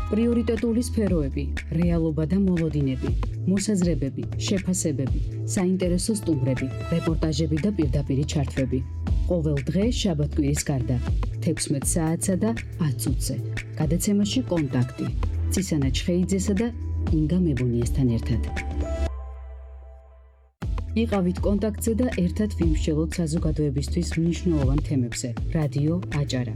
პრიორიტეტული სფეროები, რეალობა და მოლოდინები, მოსაზრებები, შეფასებები, საინტერესო სტუმრები, რეპორტაჟები და პირდაპირი ჩართვები. ყოველ დღე შაბათ-კვირის გარდა 16 საათსა და 10 წუთზე. გადაცემაში კონტაქტი. ცისანა ჩხეიძესა და ინგა მებუნიესთან ერთად. იყავით კონტაქტზე და ერთად ვიმსჯელოთ საზოგადოებისთვის მნიშვნელოვან თემებზე. რადიო აჭარა,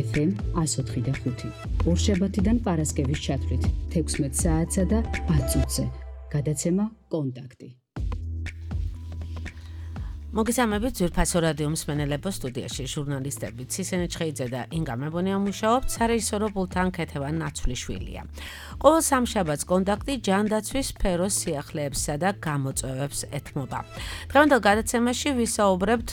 FM 104 და 5. ორშაბათიდან პარასკევის ჩათვლით 16 საათსა და 10 წუთზე. გადაცემა კონტაქტი. მოგესალმებით ძვირფასო რადიო მსმენელებო, სტუდიაში ჟურნალისტები ცისანა ჩხეიძე და ინგა მებუნია მუშაობთ, სარეჟისორო პულტთან ქეთევან ნაცვლიშვილია. ყოველ სამშაბათს კონტაქტი ჯანდაცვის სფეროს სიახლეებსა და გამოწვევებს ეთმობა. დღევანდელ გადაცემაში ვისაუბრებთ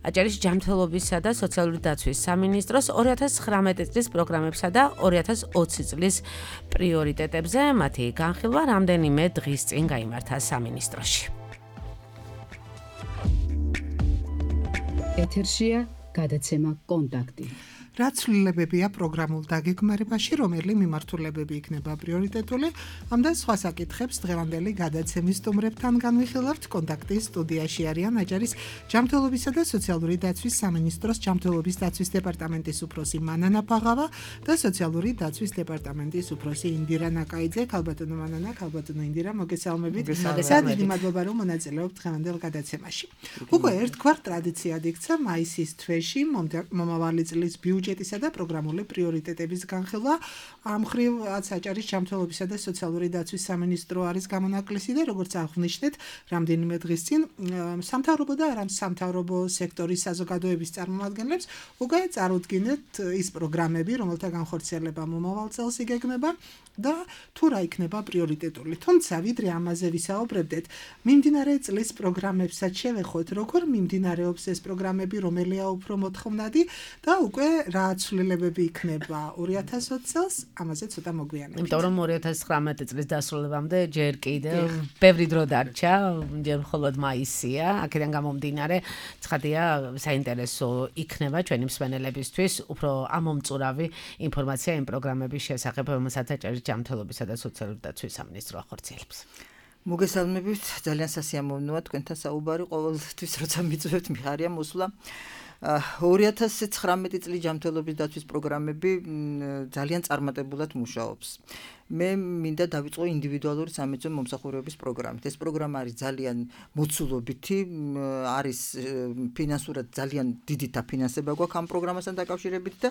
აჭარის ჯანმრთელობისა და სოციალური დაცვის სამინისტროს 2019 წლის პროგრამებსა და 2020 წლის პრიორიტეტებზე. მათი განხილვა რამდენიმე დღის წინ გაიმართა სამინისტროში. ეთერშია გადაცემა კონტაქტი. რა ცვლილებებია პროგრამულ დაგეგმარებაში, რომელი მიმართულებები იქნება პრიორიტეტული, ამ და სხვა საკითხებს დღევანდელი გადაცემის სტუმრებთან განვიხილავთ. კონტაქტის სტუდიაში არიან აჭარის ჯანმრთელობისა და სოციალური დაცვის სამინისტროს ჯანმრთელობის დაცვის დეპარტამენტის უფროსი მანანა ფაღავა და სოციალური დაცვის დეპარტამენტის უფროსი ინდირა ნაკაიძე. ქალბატონო მანანა, ქალბატონო ინდირა, მოგესალმებით. დიდი მადლობა, რომ მონაწილეობთ დღევანდელ გადაცემაში. უკვე ერთგვარ ტრადიციად იქცა მაისის თვეში მომავალი წლის ბიუჯეტისა და პროგრამული პრიორიტეტების განხილვა. ამ მხრივ აჭარის ჯანმრთელობისა და სოციალური დაცვის სამინისტრო არის გამონაკლისი და როგორც აღვნიშნეთ, რამდენიმე დღის წინ სამთავრობო და არასამთავრობო სექტორის საზოგადოების წარმომადგენლებს უკვე წარუდგინეთ ის პროგრამები, რომელთა განხორციელება მომავალ წელს იგეგმება და თუ რა იქნება პრიორიტეტული. თუმცა ვიდრე ამაზე ვისაუბრებდეთ, მიმდინარე წლის პროგრამებსაც შევეხოთ, როგორ მიმდინარეობს ეს პროგრამები, რომელია უფრო მოთხოვნადი და უკვე რა ცვლილებები იქნება 2020 წელს, ამაზე ცოტა მოგვიანებით. იმიტომ რომ 2019 წლის დასრულებამდე ჯერ კიდევ ბევრი დრო დარჩა, ჯერ მხოლოდ მაისია, აქედან გამომდინარე, ცხადია საინტერესო იქნება ჩვენი მსმენელებისთვის უფრო ამომწურავი ინფორმაცია იმ პროგრამების შესახებ, რომელსაც აჭარის ჯანმრთელობისა და სოციალური დაცვის სამინისტრო ახორციელებს. მოგესალმებით, ძალიან სასიამოვნოა თქვენთან საუბარი, ყოველთვის როცა მიწვევთ მიხარია მოსვლა. 2019 წლის ჯანმრთელობის დაცვის პროგრამები ძალიან წარმატებულად მუშაობს. მე მინდა დავიწყო ინდივიდუალური სამედიცინო მომსახურების პროგრამით. ეს პროგრამა არის ძალიან მოცულობითი, არის ფინანსურად ძალიან დიდი დაფინანსება გვაქვს ამ პროგრამასთან დაკავშირებით და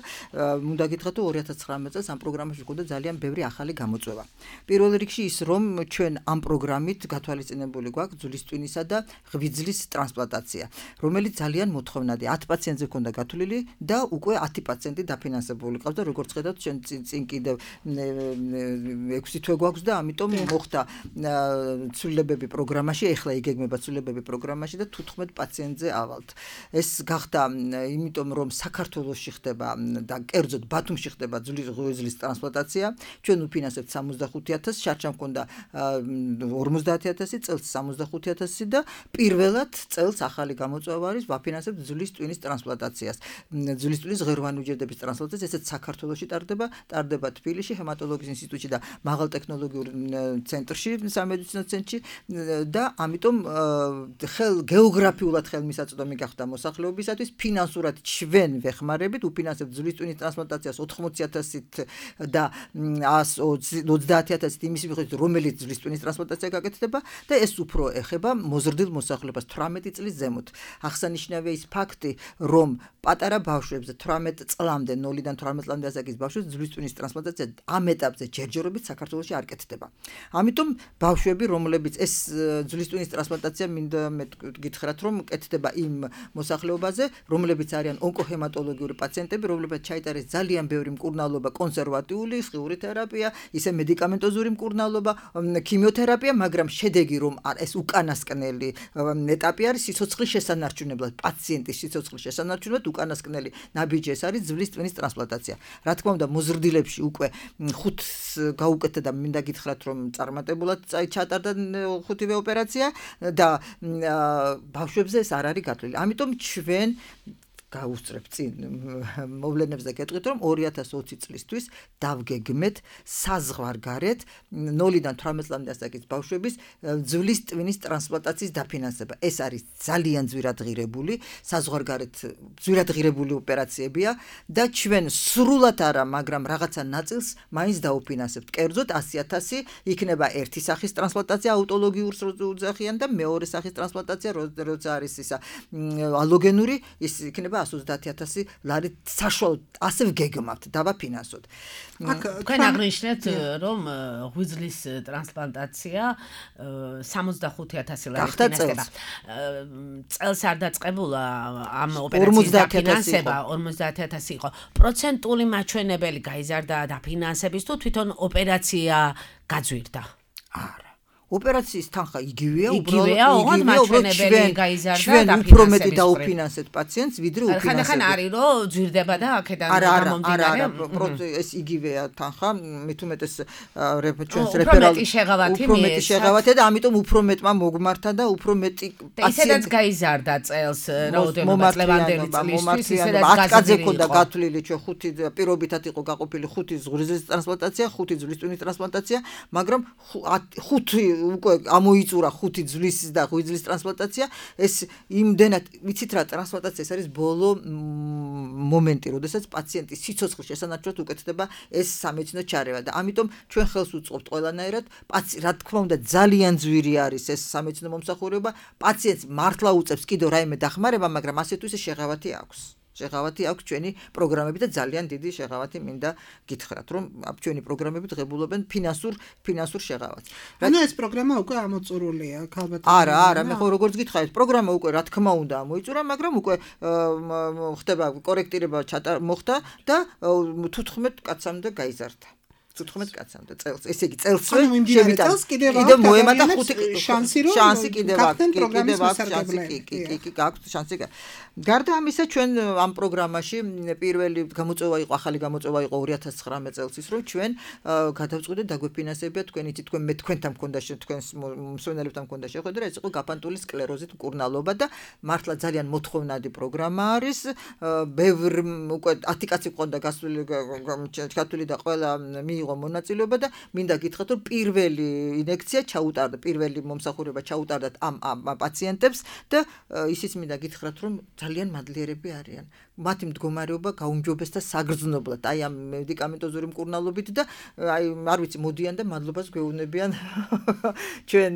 უნდა გითხრათ, რომ 2019 წელს ამ პროგრამაში გვქონდა ძალიან ბევრი ახალი გამოწვევა. პირველ რიგში ის, რომ ჩვენ ამ პროგრამით გათვალისწინებული გვაქვს ძვლის ტვინისა და ღვიძლის ტრანსპლანტაცია, რომელიც ძალიან მოთხოვნადია. 10 პაციენტზე ქონდა გათვლილი და უკვე 10 პაციენტი დაფინანსებული ყავს და როგორც ხედავთ, ჩვენ წინ კიდევ 6 თვე გვაქვს და ამიტომ მოხდა ცვლილებები პროგრამაში, ეხლა იგეგმება ცვლილებები პროგრამაში და 15 პაციენტზე ავალთ. ეს გახდა იმიტომ, რომ საქართველოში ხდება და კერძოდ ბათუმში ხდება ღვიძლის ტრანსპლანტაცია. ჩვენ უფინანსებთ 65,000, შარჩა მქონდა 50,000, წელს 65,000 და პირველად წელს ახალი გამოწვევა არის ვაფინანსებთ ძვლის ტვინის ტრანსპლანტაციას. ძვლის ტვინის ღეროვანი უჯრედების ტრანსპლანტაცია ესეც საქართველოში ტარდება თბილისში ჰემატოლოგიის ინსტიტუტში და მაღალტექნოლოგიურ ცენტრში, სამედიცინო ცენტრში და ამიტომ გეოგრაფიულად ხელმისაწვდომი გახდა მოსახლეობისათვის. ფინანსურად ჩვენ ვეხმარებით, უფინანსებთ ძვლის ტვინის ტრანსპლანტაციას 80,000-ით და 130,000-ით იმის მიხედვით, რომელიც ძვლის ტვინის ტრანსპლანტაცია გაკეთდება და ეს უფრო ეხება მოზრდილ მოსახლეობას 18 წლის ზემოთ. აღსანიშნავია ის ფაქტი, რომ პატარა ბავშვებზე 18 წლამდე, 0-დან 18 წლამდე ასაკის ბავშვებს ძვლის ტვინის ტრანსპლანტაცია ამ ეტაპზე ჯერჯერობით საქართველოში არ კეთდება. ამიტომ ბავშვები, რომლებიც ეს ძვლის ტვინის ტრანსპლანტაცია მინდა გითხრათ, რომ კეთდება იმ მოსახლეობაზე, რომლებიც არიან ონკოჰემატოლოგიური პაციენტები, რომლებიც ჩაიტარეს ძალიან ბევრი მკურნალობა, კონსერვატიული, სხიური თერაპია, ისე მედიკამენტოზური მკურნალობა, ქიმიოთერაპია, მაგრამ შედეგი რომ ეს უკანასკნელი ეტაპი არის სიცოცხლის შესანარჩუნებლად, პაციენტის სიცოცხლის შესანარჩუნებლად უკანასკნელი ნაბიჯი ეს არის ძვლის ტვინის ტრანსპლანტაცია. რა თქმა უნდა, მოზრდილებში უკვე 5 გაუკეთდა და მინდა გითხრათ, რომ წარმატებულად ჩატარდა 5-ვე ოპერაცია და ბავშვებზე ეს არ არის გათვლილი. ამიტომ ჩვენ გავუსწრებ წინ მოვლენებს და გეტყვით რომ 2020 წლისთვის დავგეგმეთ საზღვარგარეთ 0-დან 18 წლამდე ასაკის ბავშვების ძვლის ტვინის ტრანსპლანტაციის დაფინანსება. ეს არის ძალიან ძვირადღირებული, საზღვარგარეთ ძვირადღირებული ოპერაციებია და ჩვენ სრულად არა, მაგრამ რაღაცა ნაწილს მაინც დაუფინანსებთ. კერძოდ 100.000 იქნება ერთი სახის ტრანსპლანტაცია აუტოლოგიურ ოძახიან და მეორე სახის ტრანსპლანტაცია როცა არის ისა ალოგენური ის იქნება 130.000 ლარი საშუალო ასე ვგეგმავთ დავაფინანსოთ. თქვენ აღნიშნეთ რომ ღვიძლის ტრანსპლანტაცია 65.000 ლარი ფინანსება. წელს არ დაწყებულა ამ ოპერაციის დაფინანსება 50.000 იყო. პროცენტული მაჩვენებელი გაიზარდა დაფინანსების თუ თვითონ ოპერაცია გაძვირდა? არა. ოპერაციის თანხა იგივეა, უბრალოდ მაჩვენებელი გაიზარდა ჩვენ უფრო მეტი დაუფინანსეთ პაციენტს, ვიდრე უფინანსებთ. ხანდახან არის რომ ძვირდება და აქედან გამომდინარე. არა, ეს იგივეა თანხა, მით უმეტეს ჩვენს რეფერალ უფრო მეტი შეღავათია და ამიტომ უფრო მეტმა მოგმართა და უფრო მეტი პაციენტი. ისედაც გაიზარდა წელს რაოდენობა წლევანდელი წლისთვის, ისედაც ათკაძე ქონდა გათვლილი ჩვენ 5 პირობითად იყო გაყოფილი 5 ღვიძლის ტრანსპლანტაცია, 5 ძვლის ტვინის ტრანსპლანტაცია, მაგრამ 5 უკვე ამოიწურა 5 ძვლის და ღვიძლის ტრანსპლანტაცია. ეს იმდენად ვიცით რა ტრანსპლანტაცია ეს არის ბოლო მომენტი, როდესაც პაციენტის სიცოცხლის შესანარჩუნებლად უკეთდება ეს სამედიცინო ჩარევა და ამიტომ ჩვენ ხელს უწყობთ ყველანაირად. რა თქმა უნდა ძალიან ძვირი არის ეს სამედიცინო მომსახურება. პაციენტს მართლა უწევს კიდევ რაიმე დახმარება, მაგრამ ასე თუ ისე შეღავათი აქვს. შეღავათი აქვს ჩვენი პროგრამები და ძალიან დიდი შეღავათი მინდა გითხრათ, რომ ჩვენი პროგრამები ღებულობენ ფინანსურ შეღავათს. ანუ ეს პროგრამა უკვე ამოწურულია, ალბათ. არა, მე ხო როგორც გითხარით, პროგრამა უკვე რა თქმა უნდა ამოიწურა, მაგრამ უკვე ხდება კორექტირება მოხდა და 15 კაცამდე გაიზარდა. 15 კაცამდე წელს. ესე იგი წელსვე შევიტან. კიდევ მოემატა 5 შანსი კიდევ აქვს შანსი. გარდა ამისა ჩვენ ამ პროგრამაში პირველი გამოწვევა იყო, ახალი გამოწვევა იყო 2019 წელს ის, რომ ჩვენ გადავწყვიტეთ დაგვეფინანსებია თქვენი თქვენ მე თქვენთან მქონდა თქვენს მსმენელებთან მქონდა შეხვედრა, ეს იყო გაფანტული სკლეროზით მკურნალობა და მართლა ძალიან მოთხოვნადი პროგრამა არის. ბევრ უკვე 10 კაცი მქონდა გასული და ყველა მიიღო მონაწილეობა და მინდა გითხრათ რომ პირველი ინექცია ჩაუტარდა, პირველი მომსახურება ჩაუტარდათ ამ პაციენტებს და ისიც მინდა გითხრათ რომ ძალიან მადლიერები არიან. მათი მდგომარეობა გაუმჯობესდა საგრძნობლად აი ამ მედიკამენტოზური მკურნალობით და აი არ ვიცი მოდიან და მადლობას გვეუბნებიან ჩვენ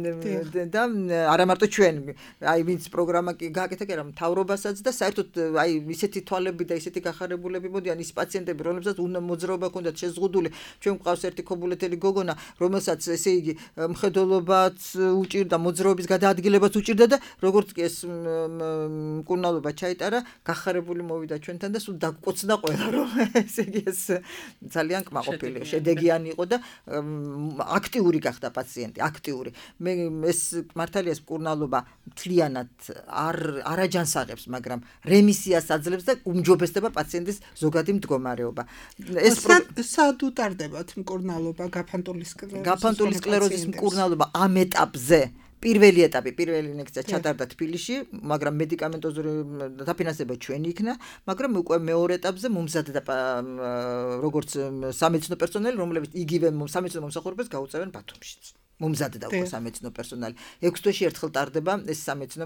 და არა მარტო ჩვენ აი ვინც პროგრამა გააკეთა კი არა მთავრობასაც და საერთოდ აი ისეთი თვალები და ისეთი გახარებულები მოდიან ის პაციენტები რომლებსაც უნდა მოძრაობა ჰქონდათ შეზღუდული ჩვენ გვყავს ერთი ქობულეთელი გოგონა რომელსაც ესე იგი მხედველობაც უჭირდა მოძრაობის გადაადგილებაც უჭირდა და როგორც კი ეს მკურნალობა ჩაიტარა გახარებული მოვიდა ჩვენთან და სულ დაგკოცდა ყველა რომ ესე იგი ეს ძალიან კმაყოფილი შედეგიანი იყო და აქტიური გახდა პაციენტი აქტიური მე ეს მართალია ეს მკურნალობა მთლიანად არ აჯანსაღებს მაგრამ რემისიას აძლევს და უმჯობესდება პაციენტის ზოგადი მდგომარეობა ეს სად უტარდებათ მკურნალობა გაფანტული სკლეროზის მკურნალობა ამ ეტაპზე პირველი ეტაპი, პირველი ინექცია ჩატარდა თბილისში, მაგრამ მედიკამენტოზური დაფინანსება ჩვენი იქნა, მაგრამ უკვე მეორე ეტაპზე მომზადდა როგორც სამედიცინო პერსონალი, რომლებიც იგივე სამედიცინო მომსახურებას გაუწევენ ბათუმშიც. მომზადდა უკვე სამედიცინო პერსონალი. 6 თვეში ერთხელ ტარდება ეს სამედიცინო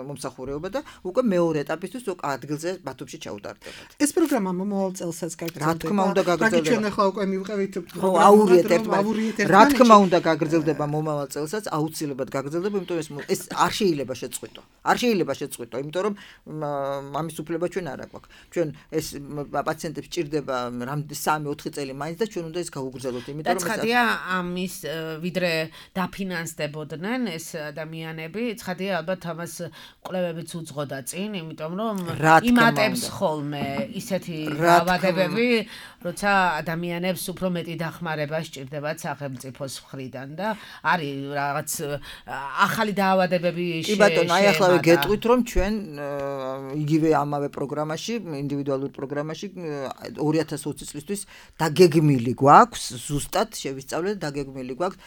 მომსახურება და უკვე მეორე ეტაპისთვის უკვე ადგილზე ბათუმში ჩაუტარდებათ. ეს პროგრამა მომავალ წელსაც გაგრძელდება. რა თქმა უნდა გაგრძელდება. ჩვენ ახლა უკვე მივყევით აურიეთ ერთმანეთს. რა თქმა უნდა გაგრძელდება მომავალ წელსაც, აუცილებლად გაგრძელდება, იმიტომ ეს არ შეიძლება შეწყვიტო. არ შეიძლება შეწყვიტო, იმიტომ რომ ამის უფლება ჩვენ არ აქვს. ჩვენ ეს პაციენტებს ჭირდება 3-4 წელი მაინც და ჩვენ უნდა ეს გავუგრძელოთ, იმიტომ რომ ცხადია ამის ვიდრე დაფინანსდებოდნენ ეს ადამიანები, ცხადია ალბათ ამას კვლევებიც უძღოდა წინ, იმიტომ რომ იმატებს ხოლმე ისეთი დაავადებები, როცა ადამიანებს უფრო მეტი დახმარება სჭირდებათ სახელმწიფოს მხრიდან და არის რაღაც ახალი დაავადებები კი ბატონო, აი ახლა გეტყვით რომ ჩვენ იგივე ამავე პროგრამაში, ინდივიდუალურ პროგრამაში 2020 წლისთვის დაგეგმილი გვაქვს, ზუსტად შევისწავლეთ, დაგეგმილი გვაქვს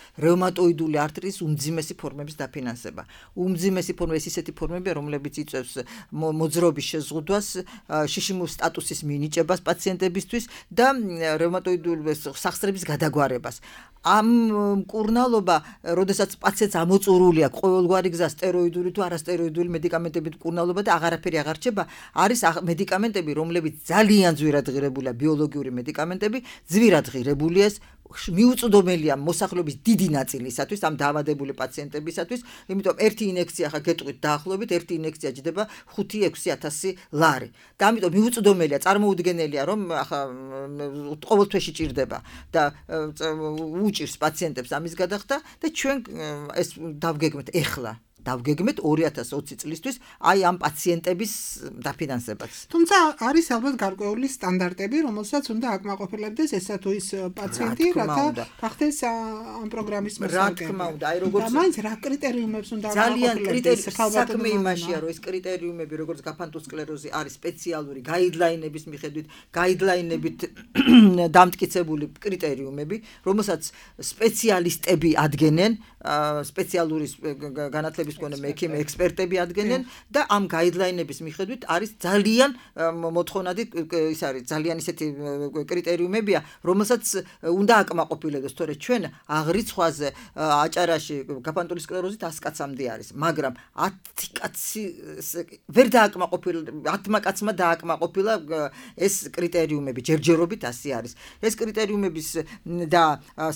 რევმატოიდული არტრის უმძიმესი ფორმების დაფინანსება. უმძიმესი ფორმები ისეთი ფორმებია, რომლებიც იწვევს მოძრაობის შეზღუდვას, შიშიმურ სტატუსის მინიჭებას პაციენტებისთვის და რევმატოიდული სახსრების გადაგვარებას. ამ მკურნალობა, როდესაც პაციენტს ამოწურული აქვს ყოველგვარი გზა სტეროიდული თუ არასტეროიდული მედიკამენტებით მკურნალობა და აღარაფერი აღარ რჩება, არის მედიკამენტები, რომლებიც ძალიან ძვირად ღირებულია, ბიოლოგიური მედიკამენტები, ძვირად ღირებულია, მიუწვდომელია მოსახლეობის დიდი ნაწილისათვის, ამ დაავადებული პაციენტებისათვის, იმიტომ ერთი ინექცია ხა გეტყვით დაახლოებით, ერთი ინექცია ჯდება 5-6 ლარი. და ამიტომ მიუწვდომელია, წარმოუდგენელია, რომ ხა ყოველ თვეში ჭირდება და უჭირს პაციენტებს ამის გადახდა და ჩვენ ეს დავგეგმეთ ეხლა. დავგეგმეთ 2020 წლისთვის აი ამ პაციენტების დაფინანსებაც. თუმცა არის ალბათ გარკვეული სტანდარტები, რომელსაც უნდა აკმაყოფილებდეს ესა თუ ის პაციენტი, რათა გახდეს ამ პროგრამის მოსარგებელი. რა თქმა უნდა, აი როგორც და მაინც რა კრიტერიუმებს უნდა ძალიან საქმე იმაშია, რომ ეს კრიტერიუმები, როგორც გაფანტულ სკლეროზი არის სპეციალური გაიდლაინების მიხედვით, გაიდლაინებით დამტკიცებული კრიტერიუმები, რომელსაც სპეციალისტები ადგენენ, სპეციალური განათლების მქონე მექიმე ექსპერტები ადგენენ და ამ გაიდლაინების მიხედვით არის ძალიან მოთხოვნადი ის არის ძალიან ისეთი კრიტერიუმებია, რომელსაც უნდა აკმაყოფილებდეს, თორე ჩვენ აღრიცხვაზე აჭარაში გაფანტული სკლეროზით 100 კაცამდე არის, მაგრამ 10 კაცი ვერ დააკმაყოფილა, 10 კაცმა დააკმაყოფილა ეს კრიტერიუმები, ჯერჯერობით 100 არის. ეს კრიტერიუმების და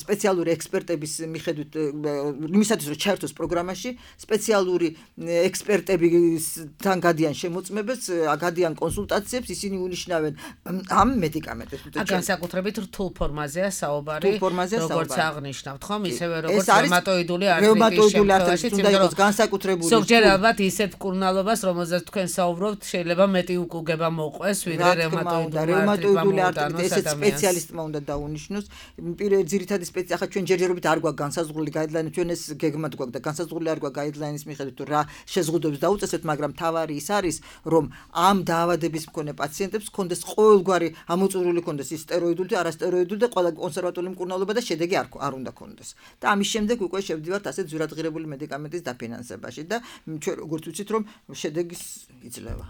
სპეციალური ექსპერტების მიხედვით იმისათვის რომ ჩაერთოს პროგრამაში, სპეციალური ექსპერტებთან გადიან შემოწმებებს, გადიან კონსულტაციებს, ისინი უნიშნავენ ამ მედიკამენტებს. განსაკუთრებით რთულ ფორმაზეა საუბარი, როგორც აღნიშნავთ, ხომ, ისევე როგორც რევმატოიდული არტრის უნდა იყოს განსაკუთრებული. ზოგჯერ ალბათ ისეთ მკურნალობას, რომელზეც თქვენ საუბრობთ, შეიძლება მეტი უკუგება მოყვეს, ვიდრე რევმატოიდული არტრის. ესეც სპეციალისტმა უნდა დაუნიშნოს. ძირითადი სპეციალისტი, ახლა ჩვენ ჯერჯერობით არ გვაქვს განსაზღვრული გაიდლაინი, ჩვენ ეს გეგმად გვაქვს და განსაზღვრული არ გვაქვს გაიდლაინის მიხედვით თუ რა შეზღუდვებს დაუწესებთ, მაგრამ თავარი ის არის, რომ ამ დაავადების მქონე პაციენტებს ჰქონდეს ყოველგვარი ამოწურული ჰქონდეს ის სტეროიდული თუ არასტეროიდული და ყველა კონსერვატული მკურნალობა და შედეგი არ უნდა ჰქონდეს. და ამის შემდეგ უკვე შევდივართ ასეთ ძვირადღირებული მედიკამენტის დაფინანსებაში და ჩვენ როგორც ვიცით, რომ შედეგის იძლევა.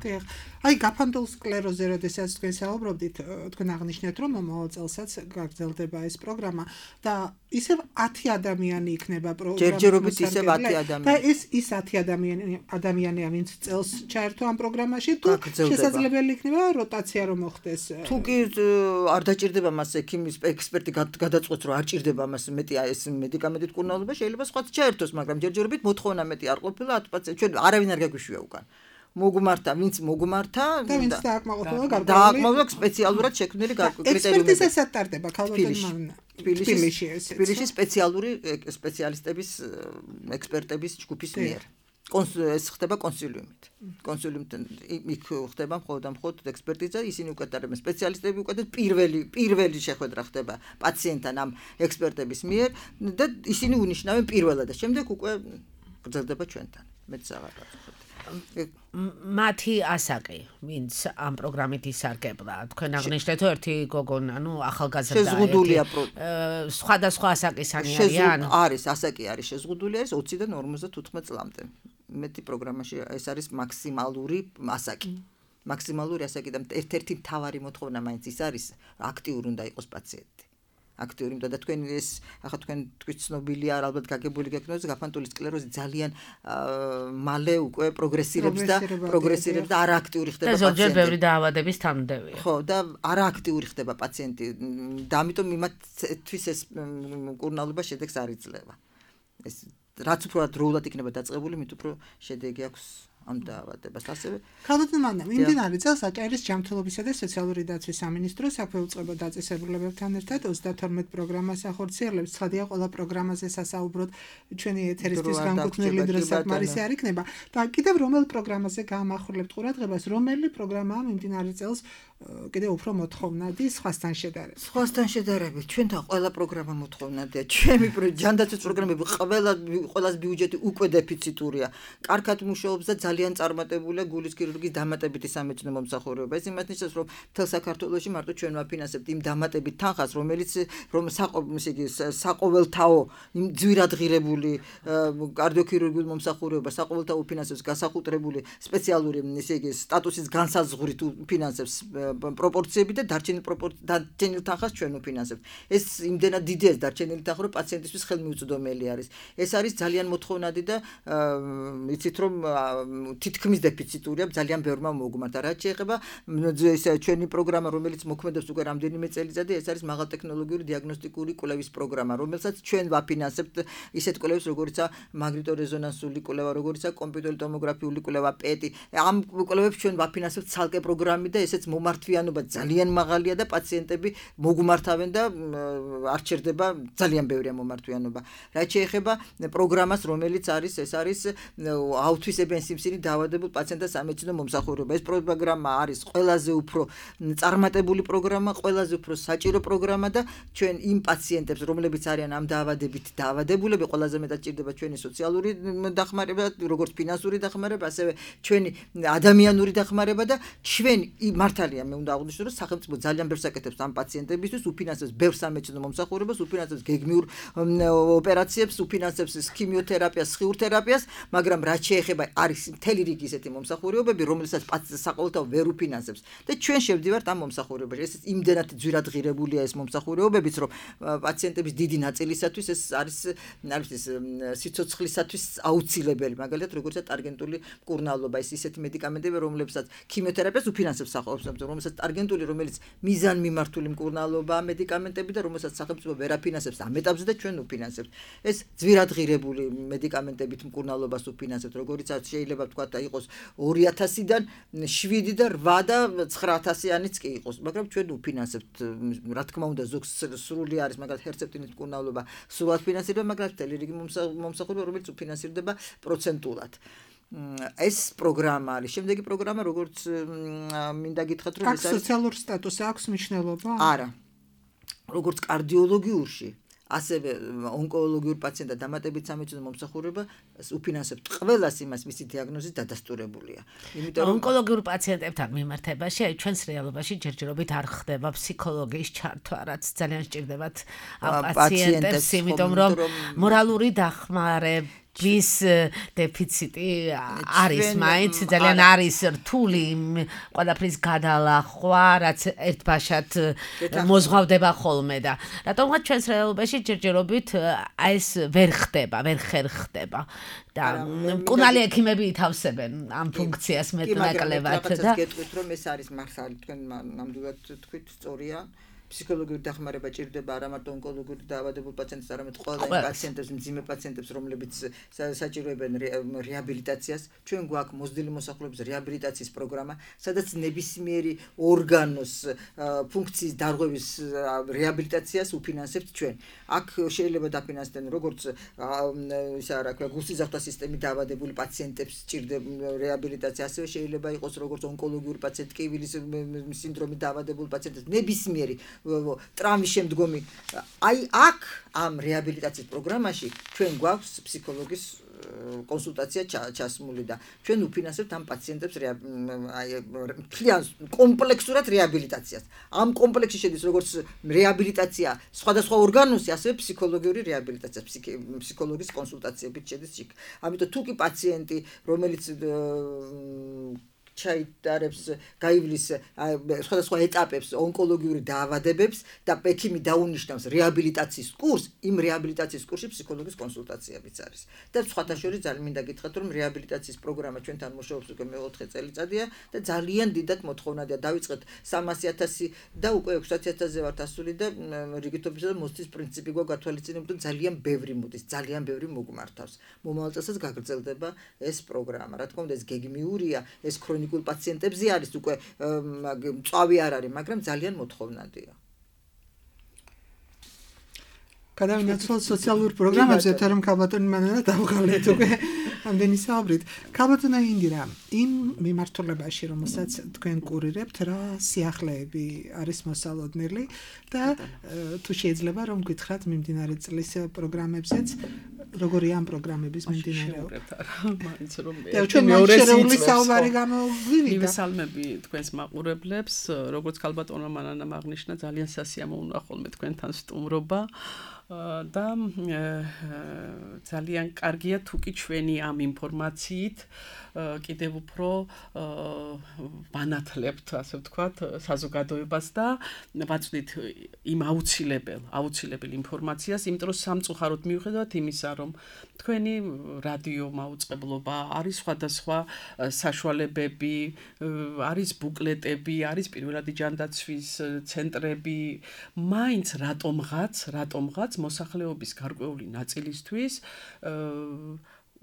აი გაფანტულ სკლეროზე, როდესაც თქვენ საუბრობდით, თქვენ აღნიშნეთ, რომ მომავალ წელსაც გაგრძელდება ეს პროგრამა და ისევ 10 ადამიანი იქნება პროგრამის ჯერჯერობით ისევ 10 ადამიანი. და ის 10 ადამიანია, ვინც წელს ჩაერთო ამ პროგრამაში, თუ შესაძლებელი იქნება როტაცია რომ მოხდეს. თუ კი არ დაჭირდება მას ექიმის ექსპერტი გადაწყვეტს, რომ არ ჭირდება მას მეტი ეს მედიკამენტით მკურნალობა, შეიძლება სხვაც ჩაერთოს, მაგრამ ჯერჯერობით მოთხოვნა მეტი არ ყოფილა 10 პაციენტ. ჩვენ არავინ არ გაგვიშვია უკან. მოგმართა, ვინც მოგმართა და ვინც დააკმაყოფილა დააკმაყოფილა სპეციალურად შექმნილი კრიტერიუმები. ექსპერტიზასაც ტარდება ქალბატონმა თბილისში სპეციალური სპეციალისტების ექსპერტების ჯგუფის მიერ. ეს ხდება კონსილიუმით. კონსილიუმთან იქ ხდება მხოლოდ და მხოლოდ ექსპერტიზა, ისინი უკეთებენ სპეციალისტები უკეთებენ პირველი შეხვედრა ხდება პაციენტთან ამ ექსპერტების მიერ და ისინი უნიშნავენ პირველად და შემდეგ უკვე გრძელდება ჩვენთან. მეც აღარ ვაწყობ. მათი ასაკი, ვინც ამ პროგრამით ისარგებლა, თქვენ აღნიშნეთ ერთი გოგონა, ახალგაზრდა, შეზღუდულია სხვადასხვა ასაკისანი არიან? არის, ასაკი არის შეზღუდული, არის 20-დან 55 წლამდე. მეტი პროგრამაში ეს არის მაქსიმალური ასაკი. მაქსიმალური ასაკი და ერთ-ერთი მთავარი მოთხოვნა მაინც ის არის, აქტიური უნდა იყოს პაციენტი. აქტიური და თქვენ ეს ახლა თქვენ ცნობილია ალბათ გაგებული გეკნოს გაფანტული სკლეროზი ძალიან მალე უკვე პროგრესირებს და არააქტიური ხდება პაციენტი. და ზოგჯერ ბევრი დაავადების თანმდევია. ხო, და არააქტიური ხდება პაციენტი და ამიტომ იმათთვის ეს მკურნალობა შედეგს არ იძლევა. ეს რაც უფრო დროულად იქნება დაწყებული, მით უფრო შედეგი აქვს ამ დაავადებას. ასევე ქალბატონმა მიმდინარე წელს აჭარის ჯანმრთელობისა და სოციალური დაცვის სამინისტრო საქვეუწყებო დაწესებულებებთან ერთად 32 პროგრამას ახორციელებს. ცხადია, ყველა პროგრამაზე სასაუბროდ ჩვენი ეთერისთვის განკუთვნილი დრო საკმარისი არ იქნება და კიდევ რომელ პროგრამაზე გაამახვილებთ ყურადღებას, რომელი პროგრამაა მიმდინარე წელს კიდევ უფრო მოთხოვნადი სხვასთან შედარებით. სხვასთან შედარებით ჩვენთან ყველა პროგრამა მოთხოვნადია. ჩვენი ჯანდაცვის პროგრამები ყველას ბიუჯეტი უკვე დეფიციტურია. კარგად მუშაობს და ძალიან წარმატებულია გულის ქირურგიის დამატებითი სამეცნიერო მომსახურება. ეს იმას ნიშნავს, რომ მთელ საქართველოში მარტო ჩვენ ვაფინანსებთ იმ დამატებით თანხას, რომელიც საყოველთაო იმ ძვირადღირებული კარდიოქირურგიული მომსახურება საყოველთაო ფინანსებს გასახუტრებული სპეციალური სტატუსის განსაზღვრით ფინანსებს პროპორციები და დარჩენილ თანხას ჩვენ ვფინანსებთ. ეს იმდენად დიდია დარჩენილი თანხა, რომ პაციენტისთვის ხელმიუწვდომელი არის. ეს არის ძალიან მოთხოვნადი და იცით რომ თითქმის დეფიციტურია ძალიან ბევრმა მოგმართა. რაც შეეხება ჩვენი პროგრამა, რომელიც მოქმედებს უკვე რამდენიმე წელიწადი, ეს არის მაღალტექნოლოგიური დიაგნოსტიკური კვლევის პროგრამა, რომელსაც ჩვენ ვაფინანსებთ ისეთ კვლევებს, როგორიცაა მაგნიტორეზონანსული კვლევა, როგორიცაა კომპიუტერული ტომოგრაფიული კვლევა, პეტი. ამ კვლევებს ჩვენ ვაფინანსებთ ცალკე პროგრამით და ესეც მომართვიანობა ძალიან მაღალია და პაციენტები მოგმართავენ და არ ჩერდება ძალიან ბევრია მომართვიანობა. რაც შეეხება პროგრამას, რომელიც არის, ეს არის აუთვისებიან სიმსივნით დაავადებულ პაციენტთა სამეცნიერო მომსახურება. ეს პროგრამა არის ყველაზე უფრო წარმატებული პროგრამა, ყველაზე უფრო საჭირო პროგრამა და ჩვენ იმ პაციენტებს, რომლებიც არიან ამ დაავადებით დაავადებულები, ყველაზე მეტად ჭირდება ჩვენი სოციალური დახმარება, როგორც ფინანსური დახმარება, ასევე ჩვენი ადამიანური დახმარება და ჩვენ მართალია მე უნდა აღვნიშნო, რომ სახელმწიფო ძალიან ბევრს აკეთებს ამ პაციენტებისთვის, უფინანსებს ბევრ სამეცნიერო მომსახურებას, უფინანსებს გეგმიურ ოპერაციებს, უფინანსებს ქიმიოთერაპიას, სხიურთერაპიას, მაგრამ რაც შეეხება არის მთელი რიგი ისეთი მომსახურებები, რომელსაც საყოველთაო ვერ უფინანსებს და ჩვენ შევდივართ ამ მომსახურებაში. ეს იმდენად ძვირადღირებულია ეს მომსახურებებიც, რომ პაციენტების დიდი ნაწილისათვის ეს არის სიცოცხლისათვის აუცილებელი, მაგალითად როგორიცაა ტარგენტული მკურნალობა, ეს ისეთი მედიკამენტები, რომლებსაც ქიმიოთერაპიას უფინანსებს საყოველთაო, რომელსაც ტარგენტული, რომელიც მიზანმიმართული მკურნალობა მედიკამენტები და რომელსაც სახელმწიფო ვერ აფინანსებს ამ ეტაპზე და ჩვენ უფინანსებთ. ეს ძვირადღირებული მედიკამენტებით მკურნალობას უფინანსებთ, როგორიცაც შეიძლება თქვა და იყოს 2000-დან 7 და 8 და 9000-იანიც კი იყოს, მაგრამ ჩვენ უფინანსებთ. რა თქმა უნდა, ზოგს სრული არის, მაგალითად ჰერცეპტინის მკურნალობა სრულად ფინანსირდება, მაგრამ მთელი რიგი მომსახურება, რომელიც უფინანსირდება პროცენტულად. ეს პროგრამა არის. შემდეგი პროგრამა, როგორც მინდა გითხრათ, რომ ეს არის სოციალური სტატუსი აქვს მნიშვნელობა? არა. როგორც კარდიოლოგიურში, ასევე ონკოლოგიურ პაციენტთა დამატებით სამეცნიერო მომსახურება უფინანსებთ ყველას იმას, მისი დიაგნოზის დადასტურებულია. იმიტომ რომ ონკოლოგიურ პაციენტებთან მიმართებაში ჩვენს რეალობაში ჯერჯერობით არ ხდება ფსიქოლოგიის ჩართვა, რაც ძალიან სჭირდებათ ამ პაციენტებს, იმიტომ რომ მორალური დახმარება ვის დეფიციტი არის მაინც ძალიან არის რთული ყველაფრის გადალახვა, რაც ერთბაშად მოზღვავდება ხოლმე და რატომღაც ჩვენს რეალობაში ჯერჯერობით ეს ვერ ხდება და მკურნალი ექიმები ითავსებენ ამ ფუნქციას მეტნაკლებად და გეტყვით რომ ეს არის მართალი თქვენ ნამდვილად თქვით სწორია ფსიქოლოგიური დახმარება ჭირდება არა მარტო ონკოლოგიური დაავადებულ პაციენტებს, არამედ ყველა იმ პაციენტებს, მძიმე პაციენტებს, რომლებიც საჭიროებენ რეაბილიტაციას. ჩვენ გვაქვს მოზრდილი მოსახლეობის რეაბილიტაციის პროგრამა, სადაც ნებისმიერი ორგანოს ფუნქციის დარღვევის რეაბილიტაციას უფინანსებთ ჩვენ. აქ შეიძლება დაფინანსდნენ როგორც ისა რა ქვია, გულსიზრდათა სისტემით დაავადებული პაციენტებს ჭირდება რეაბილიტაცია, ასევე შეიძლება იყოს როგორც ონკოლოგიური პაციენტი, კივილის სინდრომით დაავადებული პაციენტებს, ნებისმიერი ტრამვის შემდგომი აი აქ ამ რეაბილიტაციის პროგრამაში ჩვენ გვაქვს ფსიქოლოგის კონსულტაცია ჩასმული და ჩვენ უფინანსებთ ამ პაციენტებს მთლიან კომპლექსურად რეაბილიტაციას. ამ კომპლექსში შედის როგორც რეაბილიტაცია სხვადასხვა ორგანოსი, ასევე ფსიქოლოგიური რეაბილიტაცია, ფსიქოლოგის კონსულტაციებით შედის იქ. ამიტომ თუ კი პაციენტი, რომელიც ჩაიტარებს, გაივლის სხვადასხვა ეტაპებს ონკოლოგიური დაავადებებს და ექიმი დაუნიშნავს რეაბილიტაციის კურსს, იმ რეაბილიტაციის კურსში ფსიქოლოგის კონსულტაციებიც არის. და სხვათა შორის ძალიან მინდა გითხრათ, რომ რეაბილიტაციის პროგრამა ჩვენთან მუშაობს უკვე მე-4 წელიწადია და ძალიან დიდად მოთხოვნადია. დავიწყეთ 300,000 და უკვე 600,000-ზე ვართ ასული და რიგითობისა და მოსდის პრინციპი გვაქვს გათვალისწინებული და ძალიან ბევრი მოდის, ძალიან ბევრი მოგმართავს. მომავალ წელსაც გაგრძელდება ეს პროგრამა. რა თქმა უნდა, ეს გეგმიურია, ეს ქრონიკულ პაციენტებზე არის უკვე მწვავი არ არის, მაგრამ ძალიან მოთხოვნადია. გადავინაცვლოთ სოციალურ პროგრამებზე, თორემ ქალბატონი მანანა დავღალეთ უკვე. ამდენი საუბრით. ქალბატონო ინდირა, იმ მიმართულებაში, რომელსაც თქვენ კურირებთ, რა სიახლეები არის მოსალოდნელი და თუ შეიძლება რომ გითხრათ მიმდინარე წლის პროგრამებზეც, როგორია ამ პროგრამების მიმდინარეობა. მაინც რომ ჩვენ მეორე საუბარი გამოგვივიდა. მივესალმები თქვენს მაყურებლებს, როგორც ქალბატონმა მანანამ აღნიშნა, ძალიან სასიამოვნოა ხოლმე თქვენთან სტუმრობა. და ძალიან კარგია თუ კი ჩვენი ამ ინფორმაციით კიდევ უფრო ვანათლებთ, ასე ვთქვათ, საზოგადოებას და ვაწვდით იმ აუცილებელ ინფორმაციას, იმიტომ რომ სამწუხაროდ მიუხედავად იმისა, რომ თქვენი რადიო მაუწყებლობა არის სხვადასხვა საშუალებები, არის ბუკლეტები, არის პირველადი ჯანდაცვის ცენტრები, მაინც რატომღაც მოსახლეობის გარკვეული ნაწილისთვის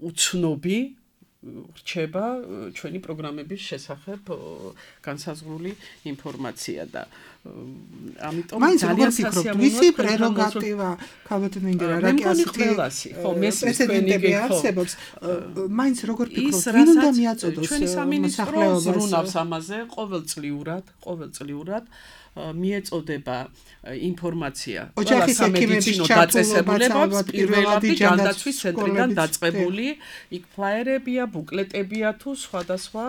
უცნობი რჩება ჩვენი პროგრამების შესახებ განსაზღვრული ინფორმაცია და ამიტომ ძალიან სასიამოვნოა მისი პრეროგატივა ქალბატონო ინდირა რა კი ასეთი ხო მესმის თქვენი გეხსებობს მაინც როგორ ფიქრობთ ვინ უნდა მიაწოდოს ჩვენი სამინისტრო ზრუნავს ამაზე ყოველწლიურად მიეწოდება ინფორმაცია ყველა სამედიცინო დაწესებულებებს პირველადი ჯანდაცვის ცენტრიდან დაწყებული იქ ფლაიერებია, ბუკლეტებია თუ სხვადასხვა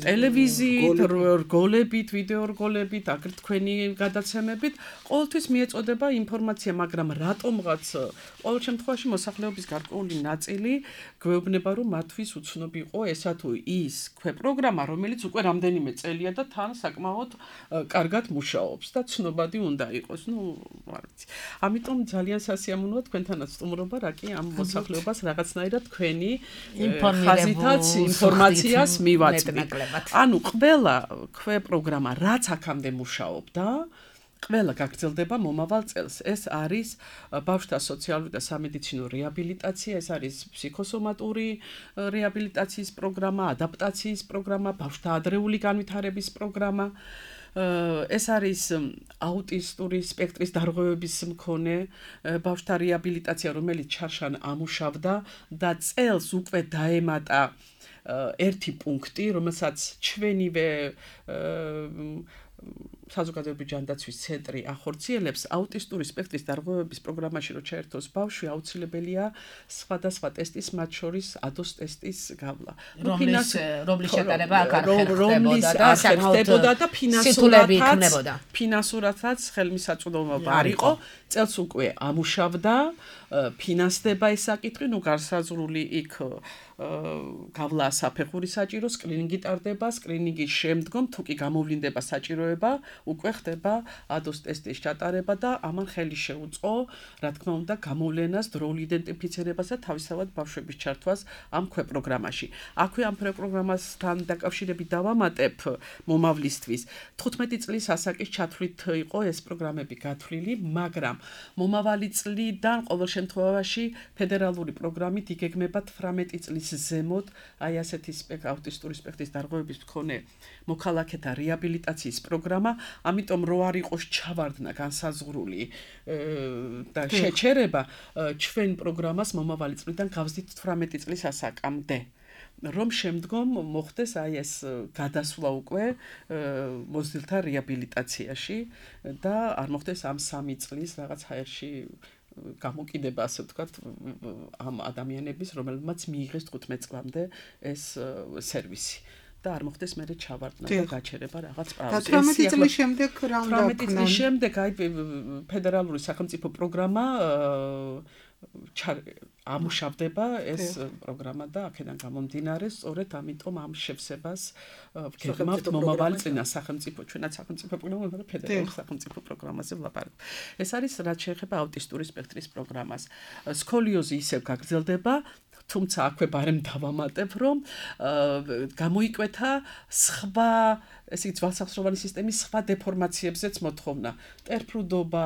ტელევიზიით, რგოლებით, ვიდეო რგოლებით, აგრეთ თქვენი გადაცემებით ყოველთვის მიეწოდება ინფორმაცია, მაგრამ რატომღაც ყოველ შემთხვევაში მოსახლეობის გარკვეული ნაწილი გვეუბნება, რომ მათთვის უცნობი იყო ესა თუ ის პროგრამა, რომელიც უკვე რამდენიმე წელია და თან საკმაოდ კარგად მუშაობს და ცნობადი უნდა იყოს. არ ვიცი. ამიტომ ძალიან სასიამოვნოა თქვენთანაც სტუმრობა, რა კი ამ მოსახლეობას რაღაცნაირად თქვენი ხაზითაც ინფორმაციას მივაწვდით. ანუ ყველა პროგრამა რაც აქამდე მუშაობდა ყველა გაგრძელდება მომავალ წელს. ეს არის ბავშვთა სოციალური და სამედიცინო რეაბილიტაცია, ეს არის ფსიქოსომატური რეაბილიტაციის პროგრამა, ადაპტაციის პროგრამა, ბავშვთა ადრეული განვითარების პროგრამა. ეს არის აუტისტური სპექტრის დარღვევების მქონე ბავშვთა რეაბილიტაცია, რომელიც ჩარშან ამუშავდა და წელს უკვე დაემატა ერთი პუნქტი, რომელსაც ჩვენივე საზოგადოებრივი ჯანდაცვის ცენტრი ახორციელებს აუტისტური სპექტრის დარღვევების პროგრამაში რო ჩაერთოს ბავშვი, აუცილებელია სხვადასხვა ტესტის, მათ შორის ADOS ტესტის გავლა. რომლის შეტანება აქ არ ხერხდებოდა და ფინანსურათაც ხელმისაწვდომობა არ იყო. წელს უკვე ამუშავდა, ფინანსდება ეს საკითხი, გარსაზღვრული იქ გავლა საფეხური საჭირო, სკრინინგი ტარდება, სკრინინგის შემდგომ თუ კი გამოვლინდება საჭიროება, უკვე ხდება ADOS ტესტის ჩატარება და ამან ხელი შეუწყო, რა თქმა უნდა, გამოვლენას, დროულ იდენტიფიცირებას და თავისთავად ბავშვების ჩართვას ამ პროგრამაში. აქვე ამ პროგრამასთან დაკავშირებით დავამატებ მომავლისთვის. 15 წლის ასაკის ჩათვლით იყო ეს პროგრამები გათვლილი, მაგრამ მომავალი წლიდან ყოველ შემთხვევაში ფედერალური პროგრამით იგეგმება 18 წლის ზემოთ აი ასეთი აუტისტური სპექტრის დარღვევების მქონე მოქალაქეთა რეაბილიტაციის პროგრამა, ამიტომ რო არ იყოს ჩავარდნა განსაზღვრული და შეჩერება, ჩვენ პროგრამას მომავალი წლიდან გავზდით 18 წლის ასაკამდე. რომ შემდგომ მოხდეს აი ეს გადასვლა უკვე მოზრდილთა რეაბილიტაციაში და არ მოხდეს ამ 3 წლის რაღაც ჰაერში გამოკიდება, ასე ვთქვათ, ამ ადამიანების, რომელმაც მიიღეს 15 წლამდე ეს სერვისი. და არ მოხდეს მერე ჩავარდნა და გაჩერება რაღაც პრაუზი. 18 წლის შემდეგ რა უნდა 18 წლის შემდეგ აი ფედერალური სახელმწიფო პროგრამა ამუშავდება ეს პროგრამა და აქედან გამომდინარე, სწორედ ამიტომ ამ შევსებას ვგეგმავთ მომავალი წინა სახელმწიფო, ჩვენაც სახელმწიფო პროგრამა, მაგრამ ფედერალური სახელმწიფო პროგრამაზე ვლაპარაკობ. ეს არის რაც შეეხება აუტისტური სპექტრის პროგრამას. სკოლიოზი ისევ გაგრძელდება, თუმცა აქვე ბარემ დავამატებ, რომ გამოიკვეთა სხვა ესე იგი ძვალსახსროვანი სისტემის სხვა დეფორმაციებზეც მოთხოვნა. ტერფრუდობა,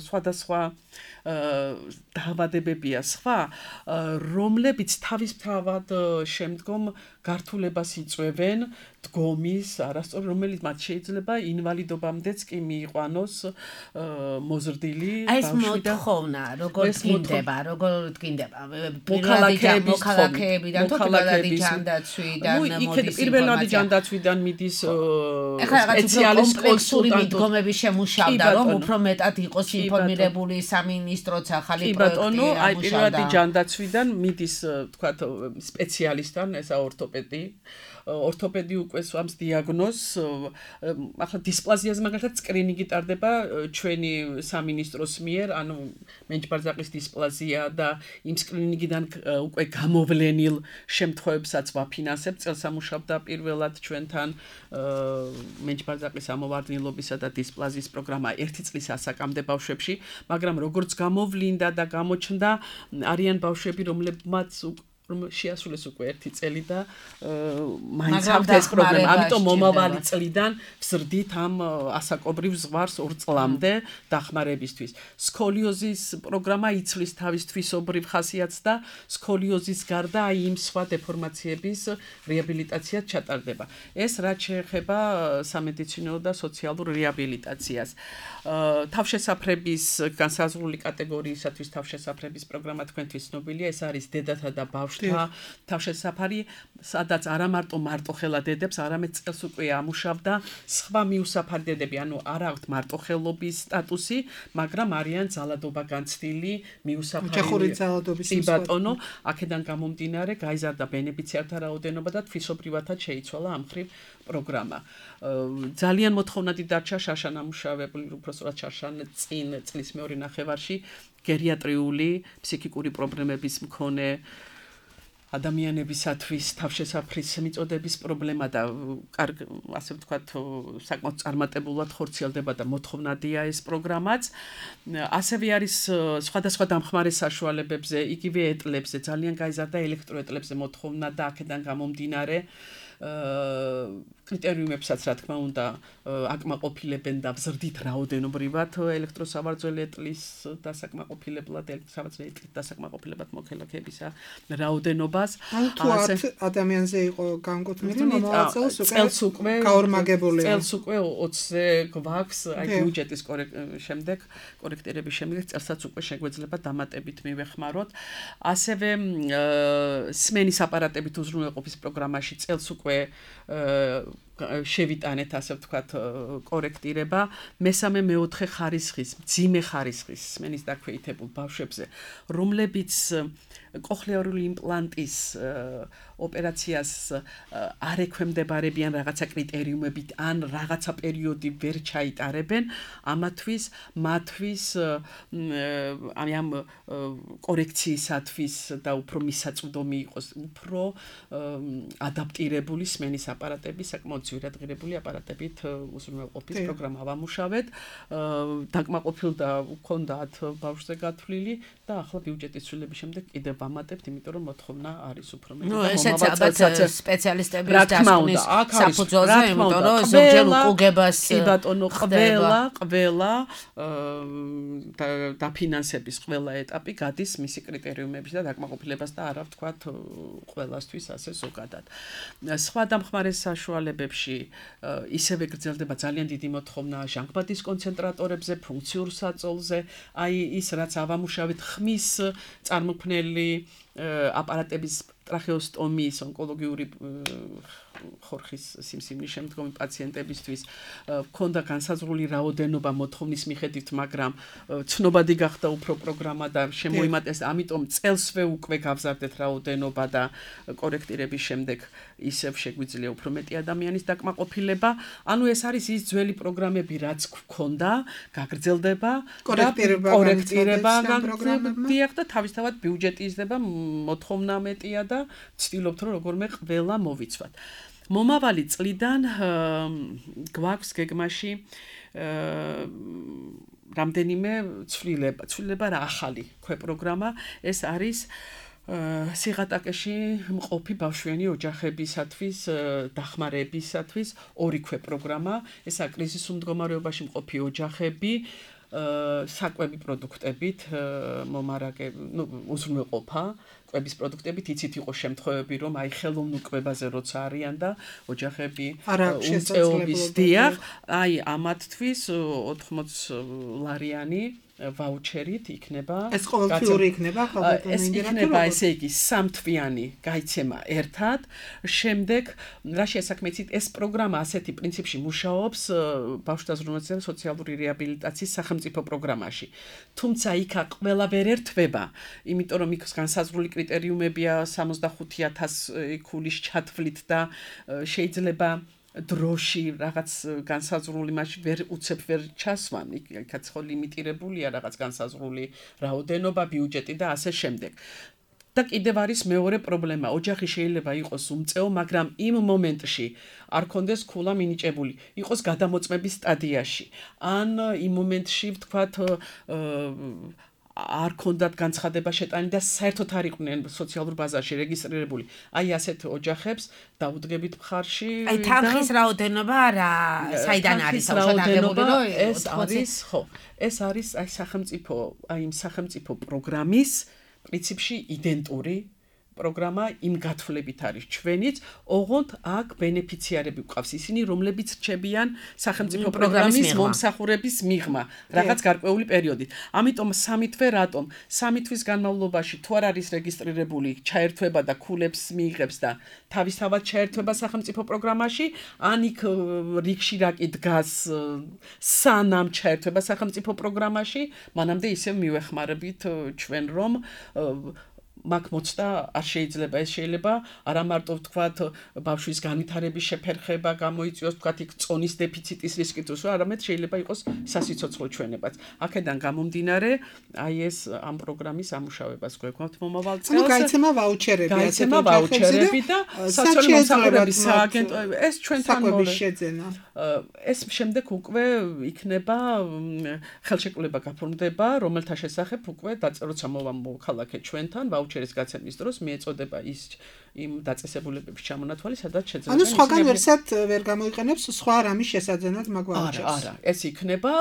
სხვადასხვა დაავადებებია სხვა, რომლებიც თავისთავად შემდგომ გართულებას იწვევენ დგომის არასწორი, რომელიც მათ შეიძლება ინვალიდობამდეც კი მიიყვანოს მოზრდილი ეს მოთხოვნა, როგორ დგინდება, მოქალაქეებიდან თუ პირველადი ჯანდაცვიდან მოდის პირველადი ჯანდაცვიდან მიდის სპეციალისტ კონსულტანტების შემუშავდა, რომ უფრო მეტად იყოს ინფორმირებული სამინისტროც ახალი პროექტი ამუშავდა. აი პირველადი ჯანდაცვიდან მიდის თქვათ სპეციალისტთან, ესა ორთოპედი უკვე სვამს დიაგნოზს. ახლა დისპლაზიაზე მაგალითად სკრინინგი ტარდება ჩვენი სამინისტროს მიერ, ანუ მენჯბარძაყის დისპლაზია და იმ სკრინინგიდან უკვე გამოვლენილ შემთხვევებსაც ვაფინანსებთ. წელს ამუშავდა პირველად ჩვენთან მენჯბარძაყის ამოვარდნილობისა და დისპლაზიის პროგრამა 1 წლის ასაკამდე ბავშვებში, მაგრამ როგორც გამოვლინდა და გამოჩნდა, არიან ბავშვები, რომლებმაც შეასრულეს უკვე 1 წელი და მაინც აქვს ეს პრობლემა. ამიტომ მომავალი წლიდან ვზრდით ამ ასაკობრივ ზღვარს 2 წლამდე დახმარებისთვის. სკოლიოზის პროგრამა იცვლის თავის თვისობრივ ხასიათს და სკოლიოზის გარდა აი იმ სხვა დეფორმაციების რეაბილიტაციაც ჩატარდება. ეს რაც შეეხება სამედიცინო და სოციალურ რეაბილიტაციას. თავშესაფრების განსაზღვრული კატეგორიისათვის თავშესაფრების პროგრამა თქვენთვის ცნობილია, ეს არის დედათა და ბავშვთა თავშესაფარი, სადაც არა მარტოხელა დედებს, არამედ წელს უკვე ამუშავდა სხვა მიუსაფარი დედები, ანუ არ აქვთ მარტოხელობის სტატუსი, მაგრამ არიან ძალადობა განცდილი მიუსაფარი. ოჯახური ძალადობის ბატონო, აქედან გამომდინარე გაიზარდა ბენეფიციართა რაოდენობა და თვისობრივადაც შეიცვალა ამ მხრივ პროგრამა. ძალიან მოთხოვნადი დარჩა შაშან ამუშავებული, უბრალოდ შაშან წინ წლის მეორე ნახევარში გერიატრიული ფსიქიკური პრობლემების მქონე ადამიანებისათვის თავშესაფრის მიწოდების პრობლემა და ასე ვთქვათ, საკმაოდ წარმატებულად ხორციელდება და მოთხოვნადია ეს პროგრამაც. ასევე არის სხვადასხვა დამხმარე საშუალებებზე, იგივე ეტლებზე, ძალიან გაიზარდა ელექტროეტლებზე მოთხოვნა და აქედან გამომდინარე კრიტერიუმებსაც რა თქმა უნდა აკმაყოფილებენ და ვზრდით რაოდენობრივად ელექტროსავარძელი ეტლის დასაკმაყოფილებლად დასაკმაყოფილებად მოქალაქეებისა რაოდენობას. თუ 10 ადამიანზე იყო განკუთვნილი, მომავალ წელს უკვე გაორმაგებულია. წელს უკვე 20-ზე გვაქვს, აი ბიუჯეტის შემდეგ კორექტირების შემდეგ წელსაც უკვე შეგვეძლება დამატებით მივეხმაროთ. ასევე სმენის აპარატებით უზრუნველყოფის პროგრამაში წელს უკვე შევიტანეთ, ასე ვთქვათ, კორექტირება მესამე მეოთხე ხარისხის, მძიმე ხარისხის სმენის დაქვეითებულ ბავშვებზე, რომლებიც კოხლიარული იმპლანტის ოპერაციას არ ექვემდებარებიან რაღაცა კრიტერიუმებით ან რაღაცა პერიოდი ვერ ჩაიტარებენ, ამათვის ამ კორექციისათვის და უფრო მისაწვდომი იყოს უფრო ადაპტირებული სმენის აპარატები, საკმაოდ ძვირადღირებული აპარატებით უზრუნველყოფის პროგრამა ვამუშავეთ. დაკმაყოფილდა უქონდათ ბავშვზე გათვლილი და ახლა ბიუჯეტის ცვლილების შემდეგ კიდევ ვამატებთ, იმიტომ რომ მოთხოვნა არის უფრო მეტი. ესეც ალბათ სპეციალისტების დასკვნის საფუძველზე, იმიტომ რომ ზოგჯერ უკუგებას კი ბატონო, ყველა დაფინანსების ყველა ეტაპი გადის მისი კრიტერიუმების და დაკმაყოფილებას და არა ვთქვათ ყველასთვის ასე ზოგადად. სხვა დამხმარე საშუალებებში ისევე გრძელდება ძალიან დიდი მოთხოვნა ჟანგბადის კონცენტრატორებზე, ფუნქციურ საწოლზე, აი ის რაც ავამუშავეთ ხმის წარმოქმნელი აპარატების ტრახეოსტომიის ონკოლოგიური ხორხის სიმსივნის შემდგომი პაციენტებისთვის ქონდა განსაზღვრული რაოდენობა მოთხოვნის მიხედვით, მაგრამ ცნობადი გახდა უფრო პროგრამა და შემოიმატეს, ამიტომ წელსვე უკვე გავზარდეთ რაოდენობა და კორექტირების შემდეგ ისევ შეგვიძლია უფრო მეტი ადამიანის დაკმაყოფილება. ანუ ეს არის ის ძველი პროგრამები, რაც გქონდა, გაგრძელდება, კორექტირება გაგრძელდება და თავისთავად ბიუჯეტი იზრდება, მოთხოვნა მეტია და ვცდილობთ რომ როგორმე ყველა მოვიცვათ. მომავალი წლიდან გვაქვს გეგმაში რამდენიმე ცვლილება რა ახალი პროგრამა, ეს არის სიღატაკეში მყოფი ბავშვიანი ოჯახებისათვის დახმარებისათვის ორი პროგრამა, ესაა კრიზისულ მდგომარეობაში მყოფი ოჯახები, საკვები პროდუქტებით უზრუნველყოფა კვების პროდუქტებით იცით იყო შემთხვევები რომ აი ხელოვნურ კვებაზე როცა არიან და ოჯახები უმწეობის დიახ აი ამათთვის 80 ლარიანი ვაუჩერით იქნება ეს ყოველთვიური იქნება ხალხთან ეს იქნება ესე იგი სამთვიანი გაიცემა ერთად შემდეგ რა შეესაქმეცით ეს პროგრამა ასეთი პრინციპში მუშაობს ბავშვთა ზრუნველობისა და სოციალური რეაბილიტაციის სახელმწიფო პროგრამაში თუმცა იქა ყველა ვერ ერთვება იმიტომ რომ იქ განსაზღვრული კრიტერიუმებია 65000 ქულის ჩათვლით და შეიძლება დროში რაღაც განსაზღვრული მასში ვერ უცებ ვერ ჩასვან იქაც ხო ლიმიტირებულია რაღაც განსაზღვრული რაოდენობა ბიუჯეტი და ასე შემდეგ და კიდევ არის მეორე პრობლემა ოჯახი შეიძლება იყოს უმწეო მაგრამ იმ მომენტში არ კონდეს ქულა მინიჭებული იყოს გადამოწმების სტადიაში ან იმ მომენტში ვთქვათ არ კონდათ განცხადება შეტანი და საერთოდ არ იყვნენ სოციალურ ბაზარში რეგისტრირებული. აი ასეთ ოჯახებს დაუდგებით მხარში. აი თანხის რაოდენობა რა, საიდან არის აღშადაგებული რომ ეს არის, ხო. ეს არის აი სახელმწიფო, აი იმ სახელმწიფო პროგრამის პრინციპში იდენტური პროგრამა იმ გათვლებით არის ჩვენიც, ოღონდ აქ ბენეფიციარები გვყავს ისინი, რომლებიც რჩებიან სახელმწიფო პროგრამის მომსახურების მიღმა, რაღაც გარკვეული პერიოდით. ამიტომ სამი თვე რატომ? სამი თვის განმავლობაში თუ არ არის რეგისტრირებული, ჩაერთვება და ქულებს მიიღებს და თავისთავად ჩაერთვება სახელმწიფო პროგრამაში, ან იქ რიგში რაკი დგას სანამ ჩაერთვება სახელმწიფო პროგრამაში, მანამდე ისევ მივეხმარებით ჩვენ რომ მაგ მოცდა არ შეიძლება ეს შეიძლება არა მარტო ვთქვათ ბავშვის განვითარების შეფერხება გამოიწვიოს ვთქვათ იქ წონის დეფიციტის რისკი თუ არამედ შეიძლება იყოს სასიცოცხლო ჩვენებაც აქედან გამომდინარე აი ეს ამ პროგრამის ამუშავებას გვექნოთ მომავალ წელს ანუ გაიცემა ვაუჩერები გაიცემა ვაუჩერები და სოციალური მომსახურების სააგენტო ეს ჩვენთან შეძენა ეს შემდეგ უკვე იქნება ხელშეკრულება გაფორმდება რომელთა შესახებ უკვე როცა მოვა მოქალაქე ჩვენთან ვაუჩერის გაცემის დროს მიეწოდება ის იმ დაწესებულებების ჩამონათვალი, სადაც შეძლება. ანუ სხვაგან ვერსად ვერ გამოიყენებს სხვა რამის შესაძენად მაგ ვაუჩერს. არა, ეს იქნება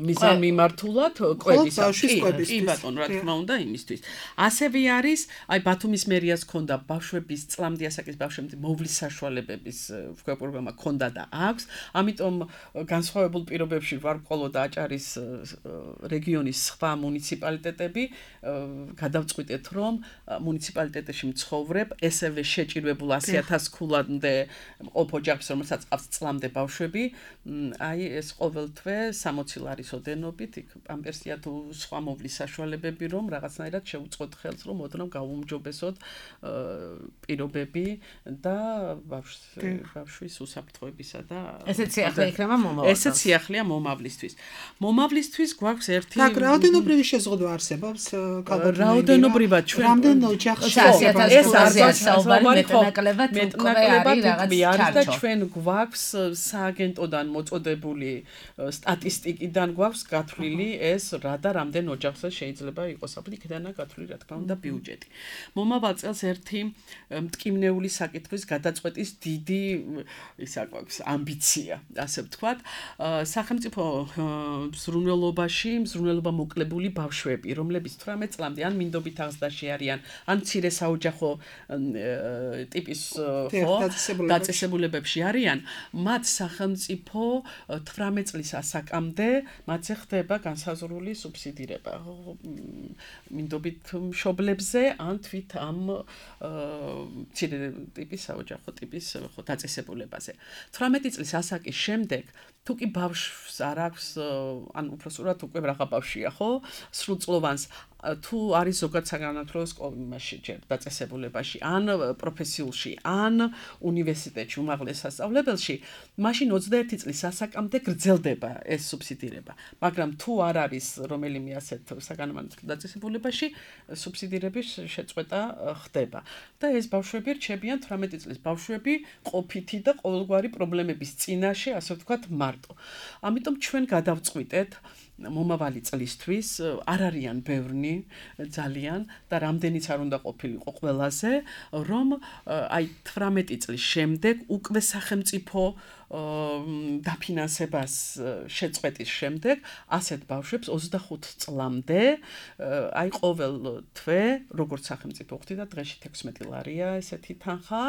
მიზანმიმართულად კვების. კი ბატონო, რა თქმა უნდა, იმისთვის. ასევე არის, აი ბათუმის მერიას ქონდა ბავშვების წლამდე ასაკის ბავშვების მოვლის საშუალებების პროგრამა ქონდა და აქვს. ამიტომ განსხვავებულ პირობებში ვარყოლო და აჭარის რეგიონის სხვა მუნიციპალიტეტები გადავწყვიტეთ, რომ მუნიციპალიტეტებში მცხოვრებ ესევე შეჭირებულ 100,000 ქულამდე ყოფ ოჯახს, რომელსაც ყავს წლამდე ბავშვები, აი ეს ყოველთვე 60 ლარის ოდენობით, იქ პამპერსია თუ სხვა მოვლის საშუალებები, რომ რაღაცნაირად შეუწყოთ ხელს, რომ ოდნავ გაუმჯობესოთ პირობები და ბავშვის უსაფრთხოებისა და ესეც სიახლე იქნება მომავალ. ესეც სიახლეა მომავლისთვის. მომავლისთვის გვაქვს ერთი და რაოდენობრივი შეზღუდვა არსებობს ქალბატონებთან. რაოდენობრივად ჩვენ რამდენ ოჯახში ეს მეტნაკლებად არის და ჩვენ გვაქვს სააგენტოდან მოწოდებული სტატისტიკიდან გვაქვს გათვლილი ეს რა და რამდენ ოჯახს შეიძლება იყოს აპლიკდანა გათვლილი რა თქმა უნდა ბიუჯეტი. მომავალ წელს ერთი მტკივნეული საკითხის გადაწყვეტის დიდი ისა გვაქვს ამბიცია, ასე ვთქვათ. სახელმწიფო ზრუნველობაში მზრუნველობა მოკლებული ბავშვები, რომლებიც 18 წლამდე ან მინდობით აღზრდაში არიან, ან მცირე საოჯახო ტიპის დაწესებულებებში არიან, მათ სახელმწიფო 18 წლის ასაკამდე მათზე ხდება განსაზღვრული სუბსიდირება მინდობით მშობლებზე ან თვით ამ მცირე ტიპის საოჯახო ტიპის დაწესებულებაზე. 18 წლის ასაკის შემდეგ თუ კი ბავშვს არ აქვს ან უბრალოდ უკვე რაღა ბავშვია, ხო? სრულწლოვანს თუ არის ზოგად საგანმანათლებლო სკოლაში დაწესებულებაში, ან პროფესიულში, ან უნივერსიტეტში, უმაღლეს სასწავლებელში, მაშინ 21 წლის ასაკამდე გრძელდება ეს სუბსიდირება. მაგრამ თუ არ არის რომელიმე ასეთ საგანმანათლებლო დაწესებულებაში, სუბსიდირების შეწყვეტა ხდება. და ეს ბავშვები რჩებიან 18 წლის ბავშვები ყოფითი და ყოველგვარი პრობლემების წინაშე, ასე ვთქვათ, მარტო. ამიტომ ჩვენ გადავწყვიტეთ მომავალი წლისთვის არ არიან ბევრნი ძალიან და რამდენიც არ უნდა ყოფილიყო ყველაზე, რომ აი 18 წლის შემდეგ უკვე სახელმწიფო დაფინანსებას შეწყვეტის შემდეგ ასეთ ბავშვებს 25 წლამდე აი ყოველ თვე როგორც სახელმწიფო ხვდიდა დღეში 16 ლარია ესეთი თანხა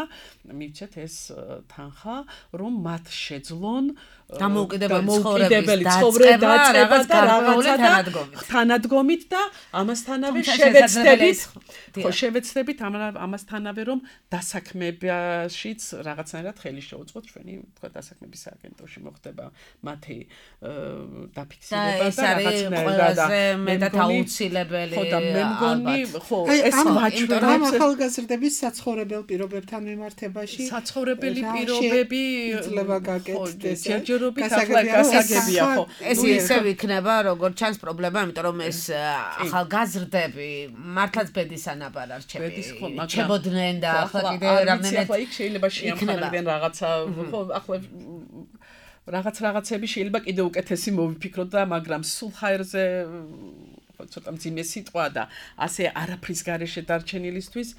მივცეთ ეს თანხა რომ მათ შეძლონ დამოუკიდებელი ცხოვრება რაღაც გარკვეული თანადგომით და ამასთანავე შევეცდებით ამასთანავე რომ დასაქმებაშიც რაღაცნაირად ხელი შეუწყოთ ჩვენი თქვა დასაქმების სააგენტოში მოხდება მათი დაფიქსირება და რაღაცნაირად მეტად აუცილებელი ხო და მე მგონი ხო ეს ვაჩვენებს ახალგაზრდების საცხოვრებელ პირობებთან მიმართებაში საცხოვრებელი პირობები ძლება გაკეთდეს ჯერჯერობით ახლა გასაგებია ხო ეს ისევ იქნება როგორც ჩანს პრობლემა იმიტომ რომ ეს ახალგაზრდები მართლაც ბედის ანაბარ არჩევი ჩებოდნენ და ახლა კიდე რამდენად ახლა იქ შეიძლება შეამხანებდნენ რაღაცა ხო ახლა რაღაცები შეიძლება კიდე უკეთესი მოვიფიქროთ და მაგრამ სულ ჰაერზე ცოტა მძიმე სიტყვა და ასე არაფრის გარეშე დარჩენილისთვის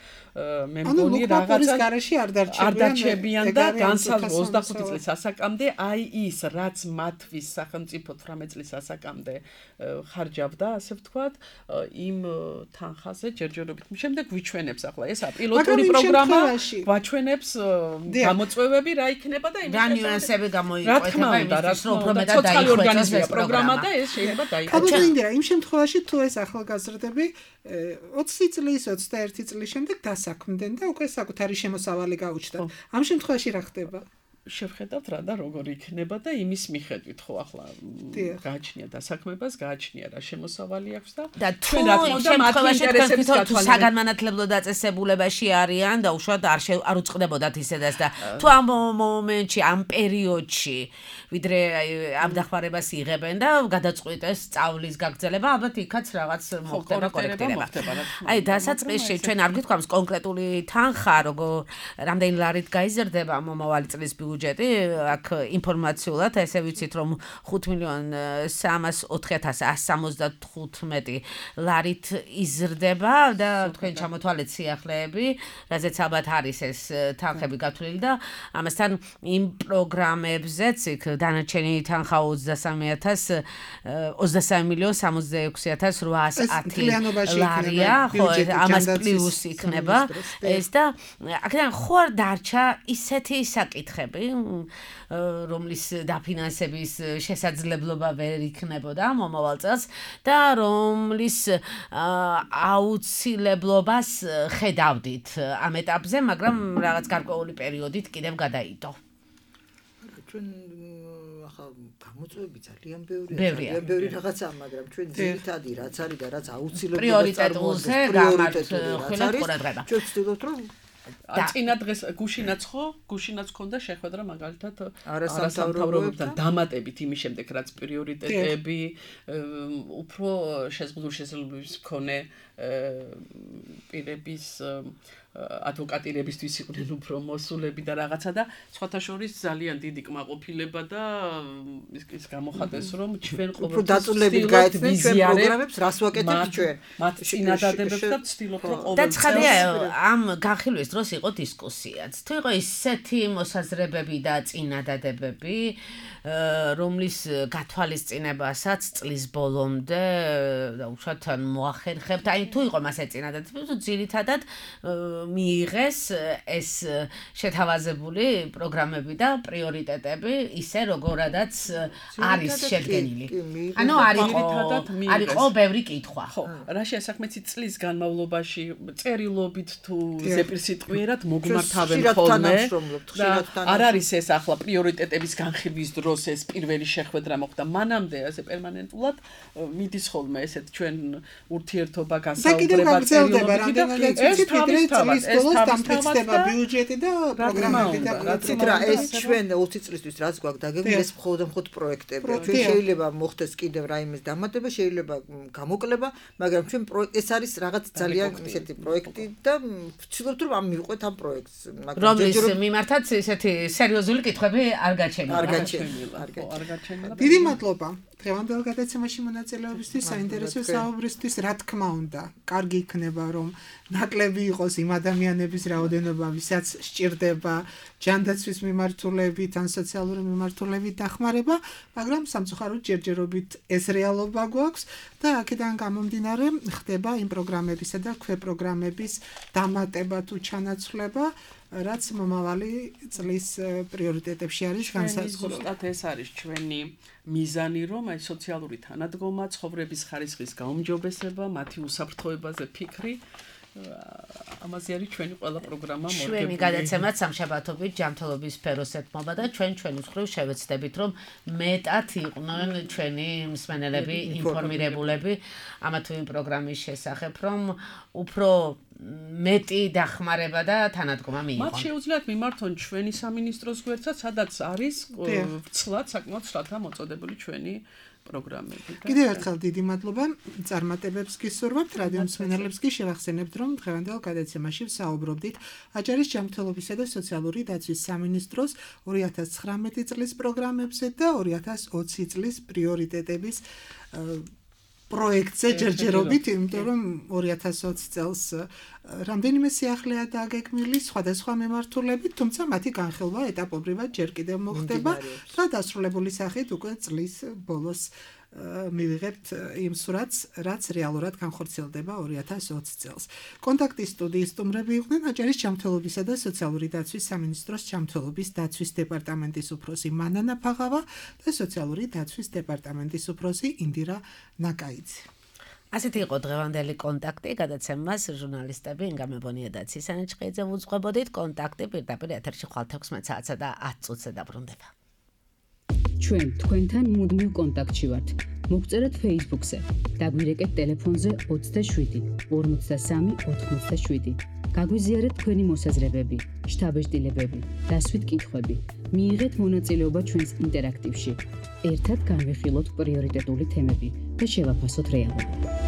მე მგონი რაღაცა გარეშე არ დარჩებიან და განსაზღვრა 25 წლის ასაკამდე აი ის რაც მათთვის სახელმწიფო 18 წლის ასაკამდე ხარჯავდა ასე ვთქვათ იმ თანხაზე ჯერჯერობით შემდეგ ვიჩვენებს ახლა ესა პილოტური პროგრამა ვაჩვენებს გამოწვევები რა იქნება და იმის ნიუანსები გამოიკვეთა იმისთვის რომ უფრო მეტად დაიხვეწოს ეს პროგრამა და ეს შეიძლება დაიხვეწოს იმ შემთხვევაში თუ ეს ახალგაზრდები 20 წლის 21 წლის შემდეგ დასაქმდნენ და უკვე საკუთარი შემოსავალი გაუჩნდათ ამ შემთხვევაში რა ხდება შევხედავთ რა და როგორ იქნება და იმის მიხედვით ხო ახლა გააჩნია დასაქმებას გააჩნია რა შემოსავალი აქვს და ჩვენ რა თქმა უნდა მათი ინტერესების გათვალისწინებით საგანმანათლებლო დაწესებულებაში არიან და უშუალოდ არ უწყდებოდათ ისედაც და თუ ამ მომენტში ამ პერიოდში ვიდრე ამ დახმარებას იღებენ და გადაწყვიტეს სწავლის გაგრძელება ალბათ იქაც რაღაც მოხდება კორექტირება აი დასაწყისში ჩვენ არ გითქვამს კონკრეტული თანხა როგორ რამდენი ლარით გაიზრდება მომავალი წლის ბიუჯეტი აქ ინფორმაციულად ესე ვიცით რომ 5,304,175 ლარით იზრდება და თქვენ ჩამოთვალეთ სიახლეები რაზეც ალბათ არის ეს თანხები გათვლილი და ამასთან იმ პროგრამებზეც იქ დანარჩენი თანხა 23,66,810 ლარია ხო ამას პლუს იქნება ეს და აქედან ხო არ დარჩა ისეთი საკითხები რომლის დაფინანსების შესაძლებლობა ვერ იქნებოდა მომავალ წელს და რომლის აუცილებლობას ხედავდით ამ ეტაპზე, მაგრამ რაღაც გარკვეული პერიოდით კიდევ გადაიდო. ჩვენ ახლა გამოწვევები ძალიან ბევრია. ბევრი რაღაცაა, მაგრამ ჩვენ ძირითადი რაც არის და რაც აუცილებლად პრიორიტეტულზე გამართულებით ყურადღება. ჩვენ ვცდილობთ რომ წინა დღეს გუშინაც ქონდა შეხვედრა მაგალითად არასამთავრობოებთან დამატებით იმის შემდეგ რაც პრიორიტეტები უფრო შესაძლებლობის მქონე პირების ადვოკატირებისთვის იყვნენ უფრო მოსულები და რაღაცა და სხვათა შორის ძალიან დიდი კმაყოფილება და ის გამოხატეს რომ ჩვენ ყოველთვის დაწუნებით გაეცნეთ ჩვენ პროგრამებს რას ვაკეთებთ ჩვენ მათ წინადადებებს და ვცდილობთ რომ ყოველ და ცხადია ამ განხილვის დროს იყო დისკუსიაც თუ იყო ისეთი მოსაზრებები და წინადადებები რომლის გათვალისწინებასაც წლის ბოლომდე და უშუალოდ მოახერხებთ აი თუ იყო მასე წინადადებები თუ ძირითადად მიიღეს ეს შეთავაზებული პროგრამები და პრიორიტეტები ისე როგორადაც არის შედგენილი. ანუ არისო ბევრი კითხვა. ხო, რა შეასახმეცი წლის განმავლობაში წერილობით თუ ზეპირსიტყვიერად მოგმართავენ ხოლმე. არ არის ეს ახლა პრიორიტეტების განხილვის დროს ეს პირველი შეხვედრა მოხდა. მანამდე ასე პერმანენტულად მიდის ხოლმე ესეთ ჩვენ ურთიერთობა გასაუბრება წერილობით და ეს დამტკიცდება ბიუჯეტი და პროგრამები და რა ეს ჩვენ 20 წლისთვის რაც გვაქვს დაგეგმილი ეს მხოლოდ პროექტები ჩვენ შეიძლება მოხდეს კიდევ რაიმეს დამატება შეიძლება გამოკლება მაგრამ ჩვენ ეს არის რაღაც ძალიან ისეთი პროექტი და ვცდილობთ რომ ამ მივყვეთ ამ პროექტს. რომლის მიმართაც ესეთი სერიოზული კითხვები არ გაჩენილა. არ გაჩენილა. დიდი მადლობა. დღევანდელ გადაცემაში მონაწილეობისთვის, საინტერესო საუბრისთვის, რა თქმა უნდა, კარგი იქნება, რომ ნაკლები იყოს იმ ადამიანების რაოდენობა, ვისაც სჭირდება ჯანდაცვის მიმართულებით ან სოციალური მიმართულებით დახმარება, მაგრამ სამწუხაროდ ჯერჯერობით ეს რეალობა გვაქვს და აქედან გამომდინარე ხდება იმ პროგრამებისა და ქვეპროგრამების დამატება თუ ჩანაცვლება, რაც მომავალი წლის პრიორიტეტებში არის განსაზღვრული. ზუსტად ეს არის ჩვენი მიზანი, რომ აი სოციალური თანადგომა, ცხოვრების ხარისხის გაუმჯობესება, მათი უსაფრთხოებაზე ფიქრი, ამაზე არის ჩვენი ყველა პროგრამა მორგებული. ჩვენი გადაცემაც სამშაბათობით ჯანმრთელობის სფეროს ეთმობა და ჩვენი მხრივ შევეცდებით, რომ მეტად იყვნენ ჩვენი მსმენელები ინფორმირებულები ამა თუ იმ πρოგრამის შესახებ, რომ უფრო მეტი დახმარება და თანადგომა მიიღონ. მათ შეუძლიათ მიმართონ ჩვენი სამინისტროს გვერდსაც, სადაც არის ვრცლად, საკმაოდ ვრცლადაა მოწოდებული ჩვენი პროგრამები. კიდევ ერთხელ დიდი მადლობა წარმატებებს გისურვებთ, რადიო მსმენელებს კი შევახსენებთ, რომ დღევანდელ გადაცემაში ვსაუბრობდით აჭარის ჯანმრთელობისა და სოციალური დაცვის სამინისტროს 2019 წლის პროგრამებზე და 2020 წლის პრიორიტეტების პროექტზე ჯერჯერობით, იმიტომ რომ 2020 წელს რამდენიმე სიახლეა დაგეგმილი სხვადასხვა მიმართულებით, თუმცა მათი განხილვა ეტაპობრივად ჯერ კიდევ მოხდება და დასრულებული სახით უკვე წლის ბოლოს მივიღებთ იმ სურათს, რაც რეალურად განხორციელდება 2020 წელს. კონტაქტის სტუდიის სტუმრები იყვნენ აჭარის ჯანმრთელობისა და სოციალური დაცვის სამინისტროს ჯანმრთელობის დაცვის დეპარტამენტის უფროსი მანანა ფაღავა და სოციალური დაცვის დეპარტამენტის უფროსი ინდირა ნაკაიძე. ასეთი იყო დღევანდელი კონტაქტი, გადაცემას ჟურნალისტები ინგა მებონია და ცისანი ჭყიძე უძღვებოდით. კონტაქტი პირდაპირ ეთერში ხვალ 16 საათსა და 10 წუთზე დაბრუნდება. ჩვენ თქვენთან მუდმივ კონტაქტში ვართ. მოგწერეთ Facebook-ზე, დაგვირეკეთ ტელეფონზე 27 53 87. გაგვიზიარეთ თქვენი მოსაზრებები, შთაბეჭდილებები, დასვით კითხვები. მიიღეთ მონაწილეობა ჩვენს ინტერაქტივში. ერთად განვიხილოთ პრიორიტეტული თემები და შევაფასოთ რეალობა.